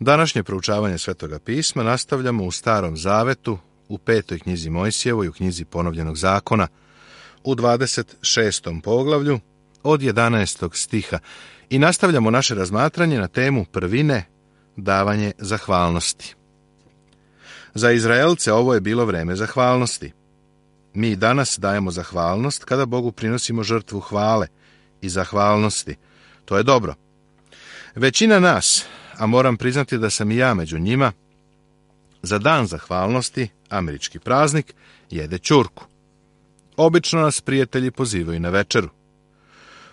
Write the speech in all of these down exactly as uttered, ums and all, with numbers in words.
Današnje proučavanje Svetoga pisma nastavljamo u Starom zavetu, u petoj knjizi Mojsijevoj, u knjizi Ponovljenog zakona, u dvadeset šestom poglavlju, od jedanaestog stiha, i nastavljamo naše razmatranje na temu prvine, davanje zahvalnosti. Za Izraelce ovo je bilo vreme zahvalnosti. Mi danas dajemo zahvalnost kada Bogu prinosimo žrtvu hvale i zahvalnosti. To je dobro. Većina nas, a moram priznati da sam i ja među njima, za dan zahvalnosti, američki praznik, jede ćurku. Obično nas prijatelji pozivaju na večeru.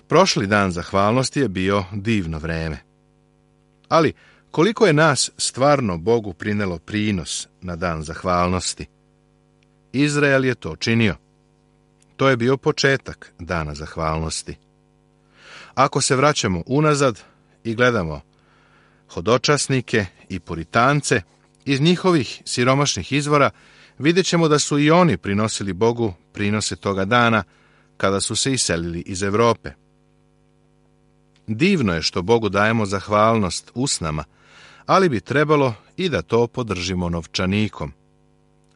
Prošli dan zahvalnosti je bio divno vreme. Ali koliko je nas stvarno Bogu prinelo prinos na dan zahvalnosti? Izrael je to činio. To je bio početak dana zahvalnosti. Ako se vraćamo unazad i gledamo hodočasnike i puritance, iz njihovih siromašnih izvora vidjet ćemo da su i oni prinosili Bogu prinose toga dana kada su se iselili iz Europe. Divno je što Bogu dajemo zahvalnost usnama, ali bi trebalo i da to podržimo novčanikom.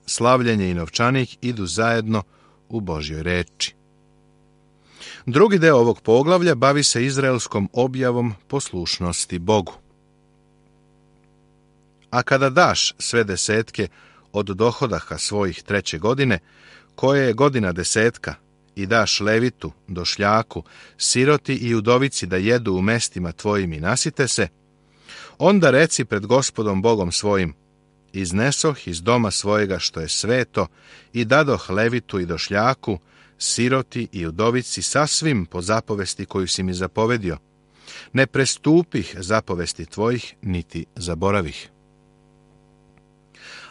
Slavljenje i novčanik idu zajedno u Božjoj reči. Drugi deo ovog poglavlja bavi se izraelskom objavom poslušnosti Bogu. A kada daš sve desetke od dohodaha svojih treće godine, koje je godina desetka, i daš levitu, došljaku, siroti i udovici da jedu u mestima tvojim i nasite se, onda reci pred Gospodom Bogom svojim: iznesoh iz doma svojega što je sveto i dadoh levitu i došljaku, siroti i udovici sasvim po zapovesti koju si mi zapovedio. Ne prestupih zapovesti tvojih, niti zaboravih.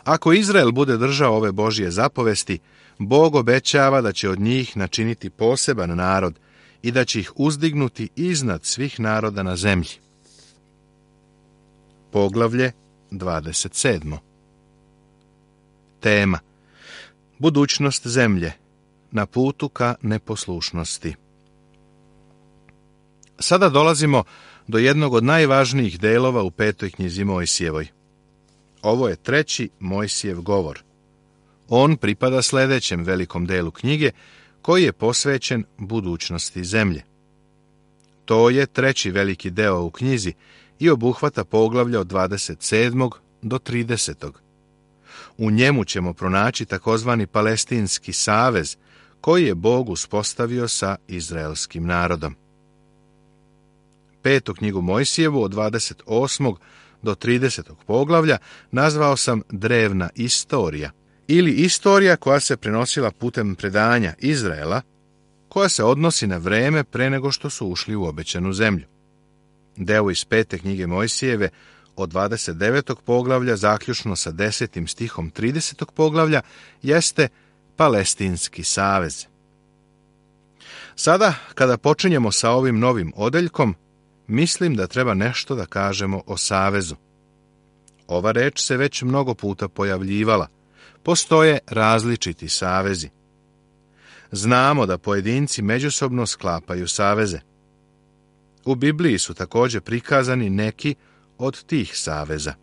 Ako Izrael bude držao ove Božje zapovesti, Bog obećava da će od njih načiniti poseban narod i da će ih uzdignuti iznad svih naroda na zemlji. Poglavlje dvadeset sedmo. Tema: budućnost zemlje na putu ka neposlušnosti. Sada dolazimo do jednog od najvažnijih delova u petoj knjizi Mojsijevoj. Ovo je treći Mojsijev govor. On pripada sljedećem velikom delu knjige, koji je posvećen budućnosti zemlje. To je treći veliki deo u knjizi i obuhvata poglavlja od dvadeset sedmog do tridesetog. U njemu ćemo pronaći takozvani Palestinski savez, koji je Bog uspostavio sa izraelskim narodom. Petu knjigu Mojsijevu od dvadeset osmog do tridesetog poglavlja nazvao sam drevna istorija, ili istorija koja se prenosila putem predanja Izraela, koja se odnosi na vreme pre nego što su ušli u obećanu zemlju. Deo iz pete knjige Mojsijeve od dvadeset devetog poglavlja zaključno sa desetim stihom tridesetog poglavlja jeste Palestinski savez. Sada, kada počinjemo sa ovim novim odeljkom, mislim da treba nešto da kažemo o savezu. Ova reč se već mnogo puta pojavljivala. Postoje različiti savezi. Znamo da pojedinci međusobno sklapaju saveze. U Bibliji su također prikazani neki od tih saveza.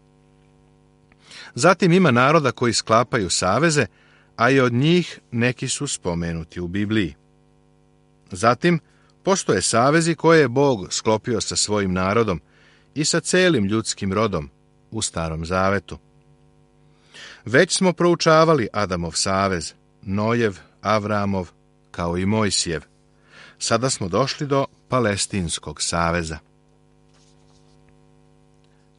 Zatim ima naroda koji sklapaju saveze, a i od njih neki su spomenuti u Bibliji. Zatim postoje savezi koje je Bog sklopio sa svojim narodom i sa celim ljudskim rodom u Starom zavetu. Već smo proučavali Adamov savez, Nojev, Avramov, kao i Mojsijev. Sada smo došli do Palestinskog saveza.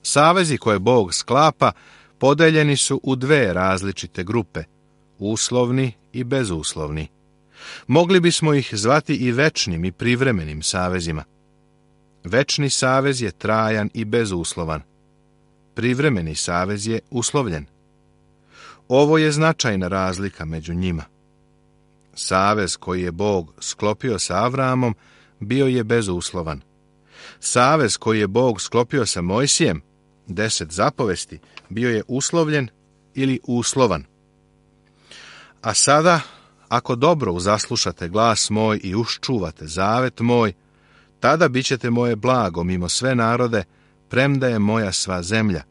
Savezi koje Bog sklapa podeljeni su u dve različite grupe, uslovni i bezuslovni. Mogli bismo ih zvati i večnim i privremenim savezima. Večni savez je trajan i bezuslovan. Privremeni savez je uslovljen. Ovo je značajna razlika među njima. Savez koji je Bog sklopio sa Avramom bio je bezuslovan. Savez koji je Bog sklopio sa Mojsijem, deset zapovesti, bio je uslovljen ili uslovan. A sada, ako dobro uzaslušate glas moj i uščuvate zavet moj, tada bit ćete moje blago mimo sve narode, premda je moja sva zemlja,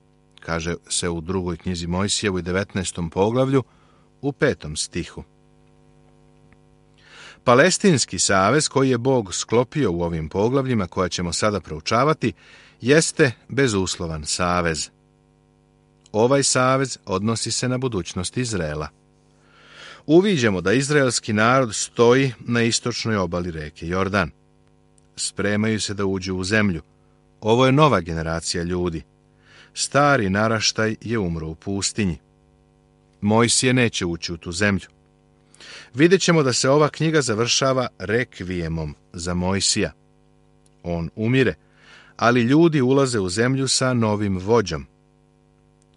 kaže se u drugoj knjizi Mojsijevoj devetnaestom poglavlju u petom stihu. Palestinski savez koji je Bog sklopio u ovim poglavljima koja ćemo sada proučavati jeste bezuslovan savez. Ovaj savez odnosi se na budućnost Izraela. Uviđamo da izraelski narod stoji na istočnoj obali reke Jordan. Spremaju se da uđu u zemlju. Ovo je nova generacija ljudi. Stari naraštaj je umro u pustinji. Mojsije neće ući u tu zemlju. Vidjet ćemo da se ova knjiga završava rekvijemom za Mojsija. On umire, ali ljudi ulaze u zemlju sa novim vođom.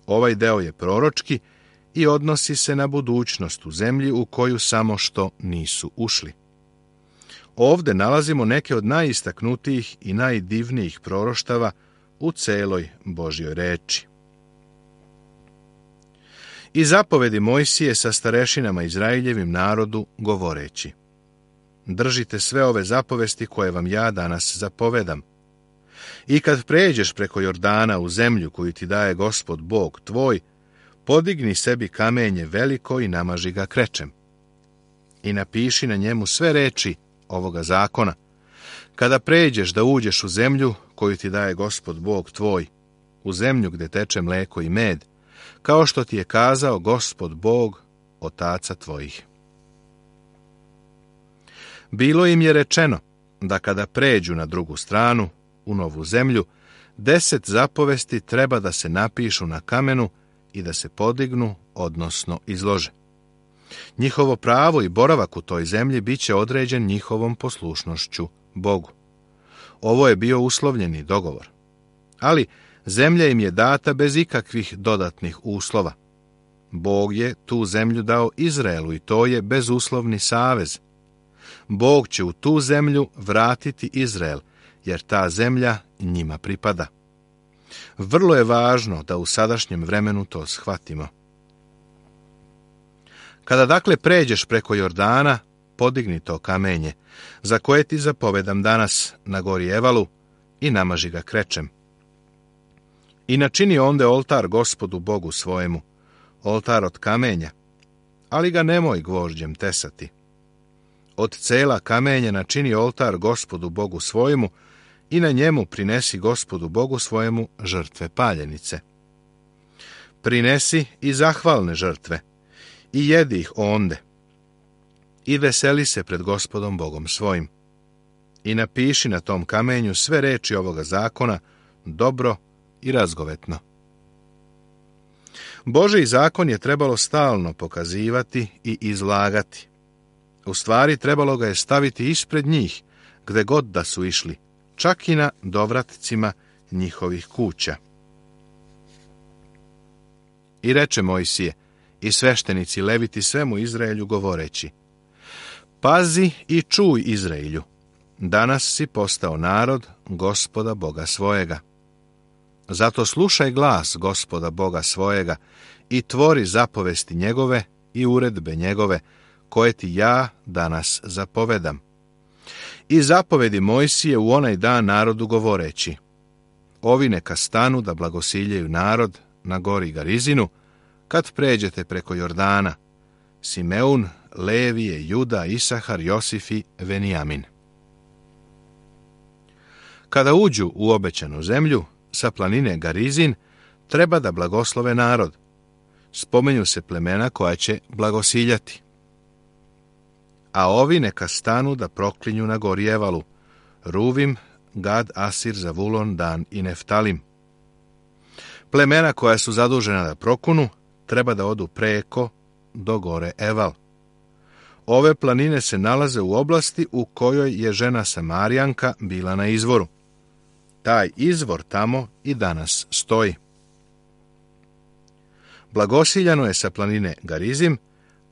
Ovaj deo je proročki i odnosi se na budućnost u zemlji u koju samo što nisu ušli. Ovde nalazimo neke od najistaknutijih i najdivnijih proroštava u celoj Božjoj reči. I zapovedi Mojsije sa starešinama Izraeljevim narodu govoreći: držite sve ove zapovesti koje vam ja danas zapovedam. I kad pređeš preko Jordana u zemlju koju ti daje Gospod Bog tvoj, podigni sebi kamenje veliko i namaži ga krečem. I napiši na njemu sve reči ovoga zakona. Kada pređeš da uđeš u zemlju koju ti daje Gospod Bog tvoj, u zemlju gde teče mleko i med, kao što ti je kazao Gospod Bog, otaca tvojih. Bilo im je rečeno da kada pređu na drugu stranu, u novu zemlju, deset zapovesti treba da se napišu na kamenu i da se podignu, odnosno izlože. Njihovo pravo i boravak u toj zemlji bit će određen njihovom poslušnošću Bogu. Ovo je bio uslovljeni dogovor. Ali zemlja im je data bez ikakvih dodatnih uslova. Bog je tu zemlju dao Izraelu i to je bezuslovni savez. Bog će u tu zemlju vratiti Izrael, jer ta zemlja njima pripada. Vrlo je važno da u sadašnjem vremenu to shvatimo. Kada dakle pređeš preko Jordana, podigni to kamenje, za koje ti zapovedam danas na gori Evalu, i namaži ga krečem. I načini onde oltar Gospodu Bogu svojemu, oltar od kamenja, ali ga nemoj gvožđem tesati. Od cela kamenja načini oltar Gospodu Bogu svojemu i na njemu prinesi Gospodu Bogu svojemu žrtve paljenice. Prinesi i zahvalne žrtve i jedi ih onde i veseli se pred Gospodom Bogom svojim. I napiši na tom kamenju sve reči ovoga zakona dobro i razgovetno. Božji zakon je trebalo stalno pokazivati i izlagati. U stvari trebalo ga je staviti ispred njih, gde god da su išli, čak i na dovratcima njihovih kuća. I reče Mojsije i sveštenici leviti svemu Izraelju govoreći: pazi i čuj Izraelju, danas si postao narod Gospoda Boga svojega. Zato slušaj glas Gospoda Boga svojega i tvori zapovesti njegove i uredbe njegove, koje ti ja danas zapovedam. I zapovedi Mojsije u onaj dan narodu govoreći: ovi neka stanu da blagosiljaju narod na gori Garizinu, kad pređete preko Jordana, Simeun, Levije, Juda, Isahar, Josif i Venijamin. Kada uđu u obećanu zemlju, sa planine Garizin, treba da blagoslove narod. Spomenju se plemena koja će blagosiljati. A ovi neka stanu da proklinju na gori Evalu: Ruvim, Gad, Asir, Zavulon, Dan i Neftalim. Plemena koja su zadužena da prokunu treba da odu preko do gore Eval. Ove planine se nalaze u oblasti u kojoj je žena Samarijanka bila na izvoru. Taj izvor tamo i danas stoji. Blagosiljano je sa planine Garizim,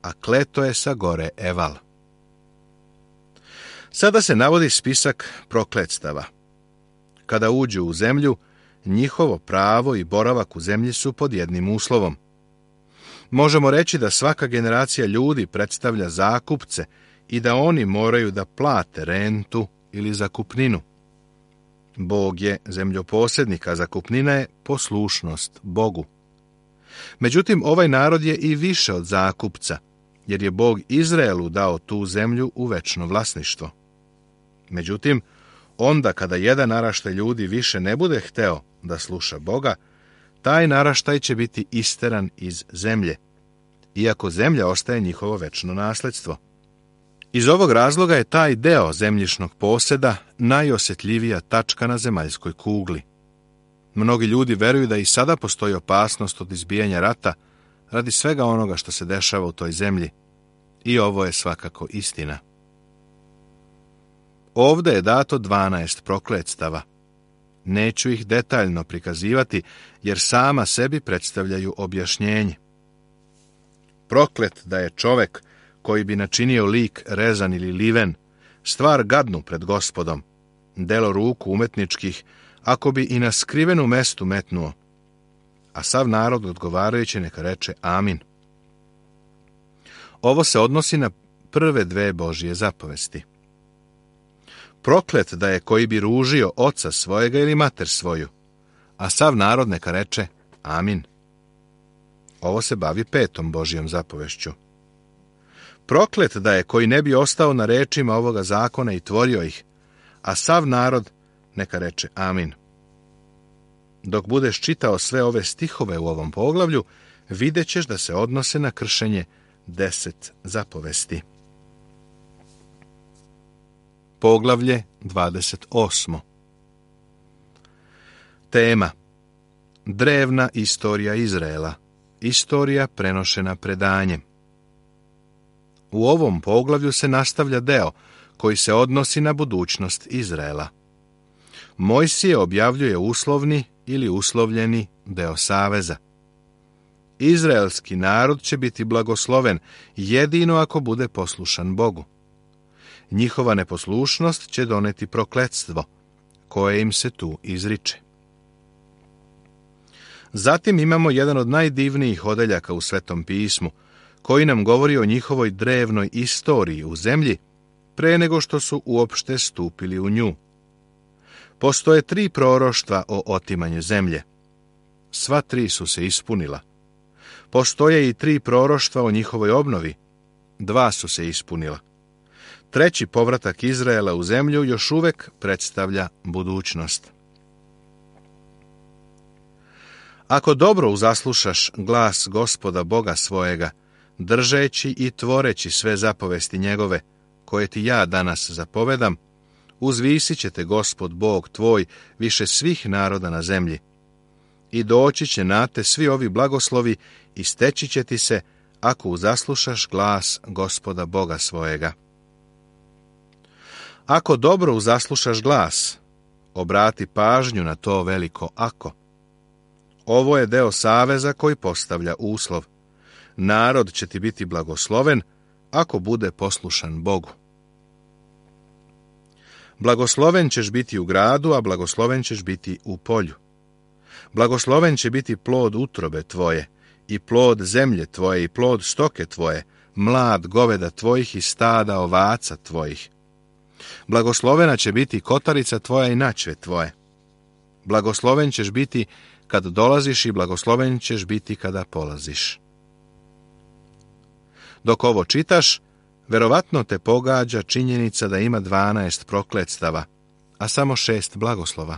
a kleto je sa gore Eval. Sada se navodi spisak prokletstava. Kada uđu u zemlju, njihovo pravo i boravak u zemlji su pod jednim uslovom. Možemo reći da svaka generacija ljudi predstavlja zakupce i da oni moraju da plate rentu ili zakupninu. Bog je zemljoposjednik, a zakupnina je poslušnost Bogu. Međutim, ovaj narod je i više od zakupca, jer je Bog Izraelu dao tu zemlju u večno vlasništvo. Međutim, onda kada jedan naraštaj ljudi više ne bude hteo da sluša Boga, taj naraštaj će biti isteran iz zemlje, iako zemlja ostaje njihovo večno nasljedstvo. Iz ovog razloga je taj deo zemljišnog posjeda najosjetljivija tačka na zemaljskoj kugli. Mnogi ljudi veruju da i sada postoji opasnost od izbijanja rata radi svega onoga što se dešava u toj zemlji. I ovo je svakako istina. Ovdje je dato dvanaest prokletstava. Neću ih detaljno prikazivati, jer sama sebi predstavljaju objašnjenje. Proklet da je čovek koji bi načinio lik rezan ili liven, stvar gadnu pred Gospodom, delo ruku umetničkih, ako bi i na skrivenu mestu metnuo. A sav narod odgovarajući neka reče amin. Ovo se odnosi na prve dve Božje zapovesti. Proklet da je koji bi ružio oca svojega ili mater svoju, a sav narod neka reče amin. Ovo se bavi petom Božjom zapovešću. Proklet da je koji ne bi ostao na rečima ovoga zakona i tvorio ih, a sav narod neka reče amin. Dok budeš čitao sve ove stihove u ovom poglavlju, vidjet ćeš da se odnose na kršenje deset zapovesti. Poglavlje dvadeset osmo. Tema: drevna istorija Izraela, istorija prenošena predanjem. U ovom poglavlju se nastavlja deo koji se odnosi na budućnost Izraela. Mojsije objavljuje uslovni ili uslovljeni deo saveza. Izraelski narod će biti blagosloven jedino ako bude poslušan Bogu. Njihova neposlušnost će doneti prokletstvo, koje im se tu izriče. Zatim imamo jedan od najdivnijih odeljaka u Svetom pismu, koji nam govori o njihovoj drevnoj istoriji u zemlji, pre nego što su uopšte stupili u nju. Postoje tri proroštva o otimanju zemlje. Sva tri su se ispunila. Postoje i tri proroštva o njihovoj obnovi. Dva su se ispunila. Treći povratak Izraela u zemlju još uvek predstavlja budućnost. Ako dobro uzaslušaš glas Gospoda Boga svojega, držeći i tvoreći sve zapovesti njegove, koje ti ja danas zapovedam, uzvisit će te Gospod Bog tvoj više svih naroda na zemlji. I doći će na te svi ovi blagoslovi i steći će ti se, ako uzaslušaš glas Gospoda Boga svojega. Ako dobro uzaslušaš glas, obrati pažnju na to veliko ako. Ovo je deo saveza koji postavlja uslov. Narod će ti biti blagosloven ako bude poslušan Bogu. Blagosloven ćeš biti u gradu, a blagosloven ćeš biti u polju. Blagosloven će biti plod utrobe tvoje, i plod zemlje tvoje, i plod stoke tvoje, mlad goveda tvojih i stada ovaca tvojih. Blagoslovena će biti kotarica tvoja i načve tvoje. Blagosloven ćeš biti kad dolaziš i blagosloven ćeš biti kada polaziš. Dok ovo čitaš, verovatno te pogađa činjenica da ima dvanaest prokletstava, a samo šest blagoslova.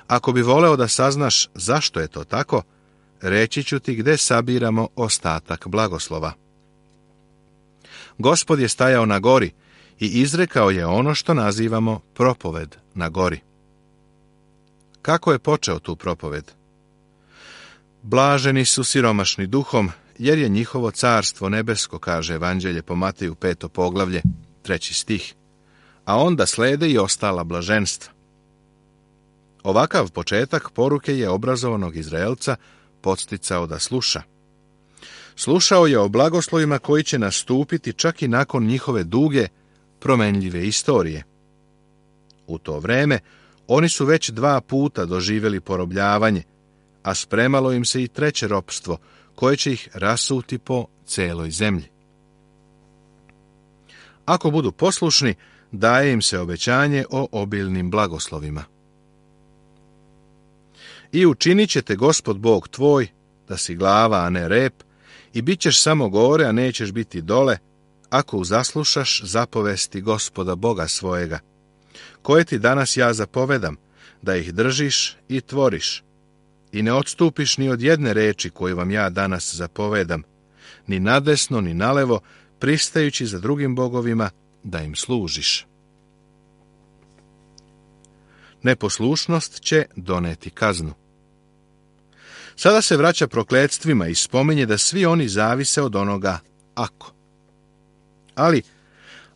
Ako bi voleo da saznaš zašto je to tako, reći ću ti gde sabiramo ostatak blagoslova. Gospod je stajao na gori i izrekao je ono što nazivamo propoved na gori. Kako je počeo tu propoved? Blaženi su siromašni duhom, jer je njihovo carstvo nebesko, kaže Evanđelje po Mateju peto poglavlje, treći stih, a onda slede i ostala blaženstva. Ovakav početak poruke je obrazovanog Izraelca podsticao da sluša. Slušao je o blagoslovima koji će nastupiti čak i nakon njihove duge, promenljive istorije. U to vreme oni su već dva puta doživjeli porobljavanje, a spremalo im se i treće ropstvo, koje će ih rasuti po celoj zemlji. Ako budu poslušni, daje im se obećanje o obilnim blagoslovima. I učinit će te Gospod Bog tvoj, da si glava, a ne rep, i bit ćeš samo gore, a nećeš biti dole, ako uzaslušaš zapovesti Gospoda Boga svojega, koje ti danas ja zapovedam, da ih držiš i tvoriš, i ne odstupiš ni od jedne reči koju vam ja danas zapovedam, ni nadesno, ni nalevo, pristajući za drugim bogovima, da im služiš. Neposlušnost će doneti kaznu. Sada se vraća prokledstvima i spominje da svi oni zavise od onoga ako. Ali,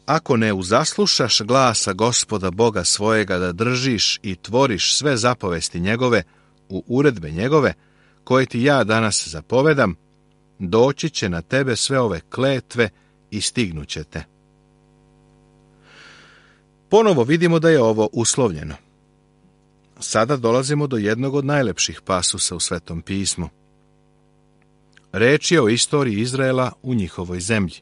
ako ne uzaslušaš glasa Gospoda Boga svojega da držiš i tvoriš sve zapovesti njegove u uredbe njegove, koje ti ja danas zapovedam, doći će na tebe sve ove kletve i stignuće te. Ponovo vidimo da je ovo uslovljeno. Sada dolazimo do jednog od najlepših pasusa u Svetom pismu. Reč je o istoriji Izraela u njihovoj zemlji.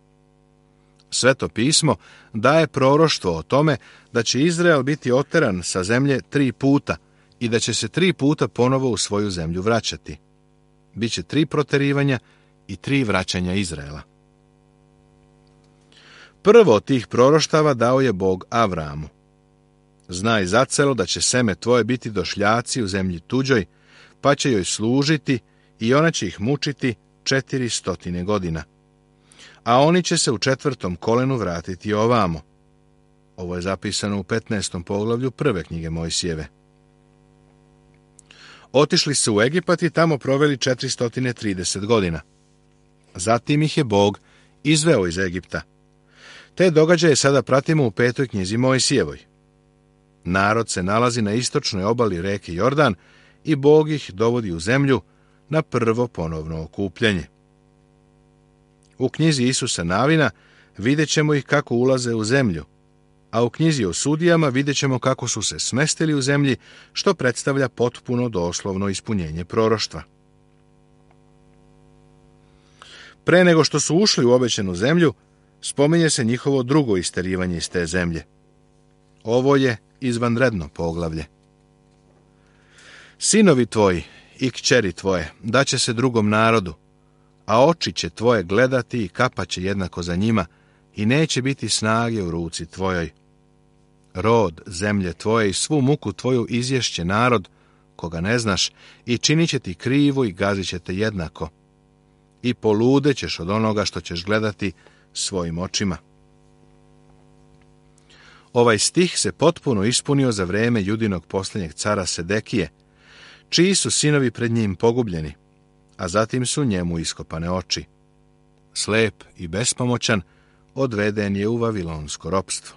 Sveto pismo daje proroštvo o tome da će Izrael biti oteran sa zemlje tri puta i da će se tri puta ponovo u svoju zemlju vraćati. Biće tri proterivanja i tri vraćanja Izraela. Prvo od tih proroštava dao je Bog Avramu. Znaj zacelo da će seme tvoje biti došljaci u zemlji tuđoj, pa će joj služiti i ona će ih mučiti četiri stotine godina. A oni će se u četvrtom kolenu vratiti ovamo. Ovo je zapisano u petnaestom poglavlju prve knjige Mojsijeve. Otišli su u Egipat i tamo proveli četiristo trideset godina. Zatim ih je Bog izveo iz Egipta. Te događaje sada pratimo u petoj knjizi Mojsijevoj. Narod se nalazi na istočnoj obali reke Jordan i Bog ih dovodi u zemlju na prvo ponovno okupljanje. U knjizi Isusa Navina vidjet ćemo ih kako ulaze u zemlju, a u knjizi o sudijama vidjet ćemo kako su se smestili u zemlji, što predstavlja potpuno doslovno ispunjenje proroštva. Pre nego što su ušli u obećanu zemlju, spominje se njihovo drugo isterivanje iz te zemlje. Ovo je izvanredno poglavlje. Sinovi tvoji i kćeri tvoje daće se drugom narodu, a oči će tvoje gledati i kapaće jednako za njima i neće biti snage u ruci tvojoj. Rod zemlje tvoje i svu muku tvoju izješće narod, koga ne znaš, i činit će ti krivo i gazit će te jednako. I poludećeš od onoga što ćeš gledati svojim očima. Ovaj stih se potpuno ispunio za vreme Judinog posljednjeg cara Sedekije, čiji su sinovi pred njim pogubljeni, a zatim su njemu iskopane oči. Slep i bespomoćan odveden je u vavilonsko ropstvo.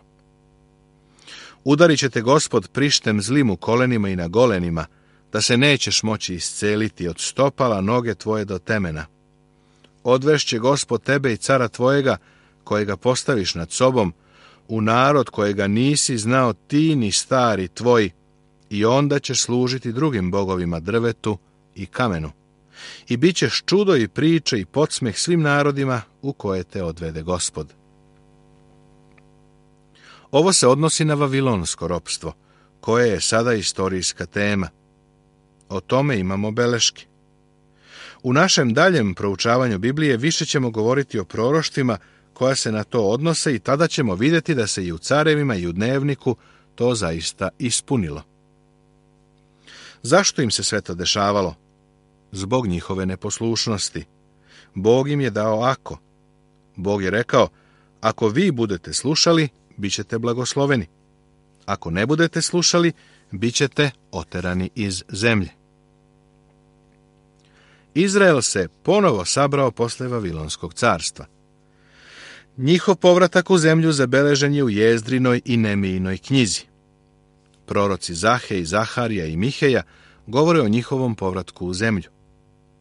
Udarit će te Gospod prištem zlim u kolenima i na golenima, da se nećeš moći isceliti od stopala noge tvoje do temena. Odvešće Gospod tebe i cara tvojega, kojega postaviš nad sobom, u narod kojega nisi znao ti ni stari tvoj, i onda ćeš služiti drugim bogovima drvetu i kamenu. I bit ćeš čudo i priče i podsmeh svim narodima u koje te odvede Gospod. Ovo se odnosi na vavilonsko ropstvo, koje je sada istorijska tema. O tome imamo beleške. U našem daljem proučavanju Biblije više ćemo govoriti o proroštvima koja se na to odnose i tada ćemo vidjeti da se i u carevima i u dnevniku to zaista ispunilo. Zašto im se sve to dešavalo? Zbog njihove neposlušnosti. Bog im je dao ako. Bog je rekao, ako vi budete slušali, bit ćete blagosloveni. Ako ne budete slušali, bit ćete oterani iz zemlje. Izrael se ponovo sabrao posle Vavilonskog carstva. Njihov povratak u zemlju zabeležen je u Jezdrinoj i Nemijinoj knjizi. Proroci Zahe i Zaharija i Miheja govore o njihovom povratku u zemlju.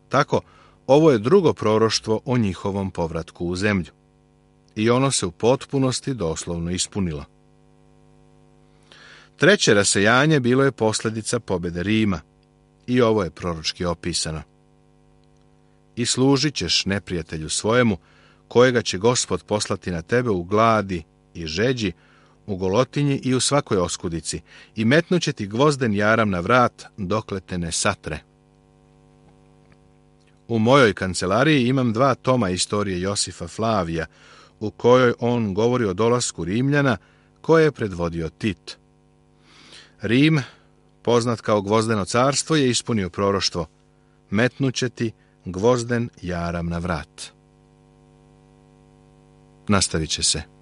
Tako, ovo je drugo proroštvo o njihovom povratku u zemlju. I ono se u potpunosti doslovno ispunilo. Treće rasejanje bilo je posljedica pobjede Rima. I ovo je proročki opisano. I služit ćeš neprijatelju svojemu, kojega će Gospod poslati na tebe u gladi i žeđi, u golotinji i u svakoj oskudici, i metnuće ti gvozden jaram na vrat, dokle te ne satre. U mojoj kancelariji imam dva toma istorije Josifa Flavija, u kojoj on govori o dolasku Rimljana, koje je predvodio Tit. Rim, poznat kao gvozdeno carstvo, je ispunio proroštvo: metnuće ti gvozden jaram na vrat. Nastavit će se.